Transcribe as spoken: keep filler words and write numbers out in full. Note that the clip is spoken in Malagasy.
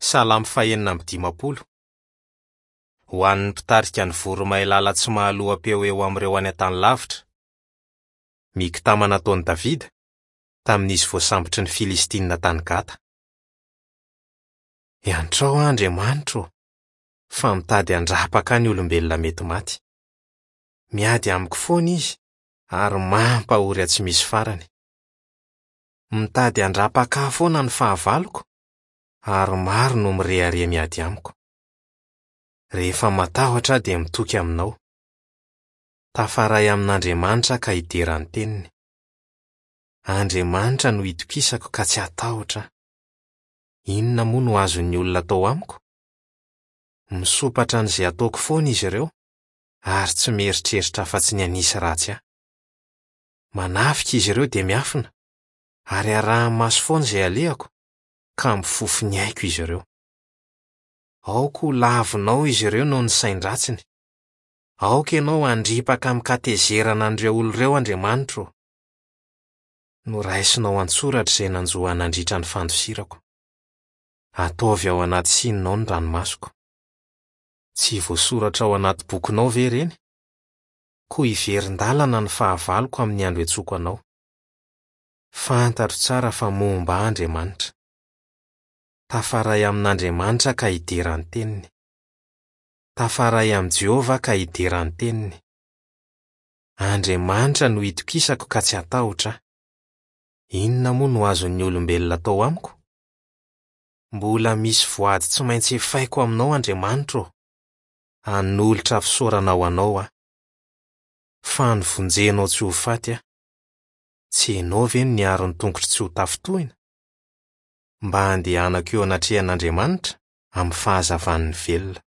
Salamo fahenina amby dimampolo. Ho an'ny mpitarika ny voromailala tsy mahaloa-peo eo amin'ireo any an-tany lavitra. Miktama nataon'i Davida tamin'izy voasambotry ny Filistinina tany Gata. Iantrao aho Andriamanitro ô, fa mitady handrapaka ahy ny olombelona mety maty. Miady amiko foana izy ary mampahory ahy tsy misy farany. Mitady handrapaka ahy foana ny fahavaloko ary maro no mirehareha miady amiko. Rehefa matahotra aho dia mitoky aminao. Tafaray amin'Andriamanitra aho ka hidera ny teniny. Andriamanitra no itokisako ka tsy hatahotra aho. Inona moa no azon'ny olona atao amiko? Misompatra an'izay ataoko foana izy ireo ary tsy mieritreritra afa-tsy ny hanisy ratsy ahy. Manafika izy ireo dia miafina ary araha-maso foana izay alehako ka mifofo ny aiko izy ireo. Aoka ho lavinao izy ireo noho ny sain-dratsiny. Aoka ianao handripaka amin-katezerana an'ireo olona ireo, Andriamanitro ô. Noraisinao an-tsoratra izay nanjo ahy nandritra ny fandosirako. Ataovy ao anaty sininao ny ranomasoko. Tsy voasoratra ao anaty bokinao ve ireny? Koa hiverin-dalana ny fahavaloko amin'ny andro iantsoako anao. Fantatro tsara fa momba ahy Andriamanitra. Tafaray amin'Andriamanitra ka hidera ny teniny. Tafaray amin'i Jehovah ka hidera ny teniny. Andriamanitra no itokisako ka tsy hatahotra aho. Inona moa no azon'ny olombelona atao amiko? Mbola misy voady tsy maintsy efaiko aminao, Andriamanitro ô. Hanolotra fisaorana ho anao aho. Fa novonjenao tsy ho faty aho. Tsy ianao ve no niaro ny tongotro tsy ho tafintohina? Mba handehanako eo anatrehan'Andriamanitra amin'ny fahazavan'ny velona.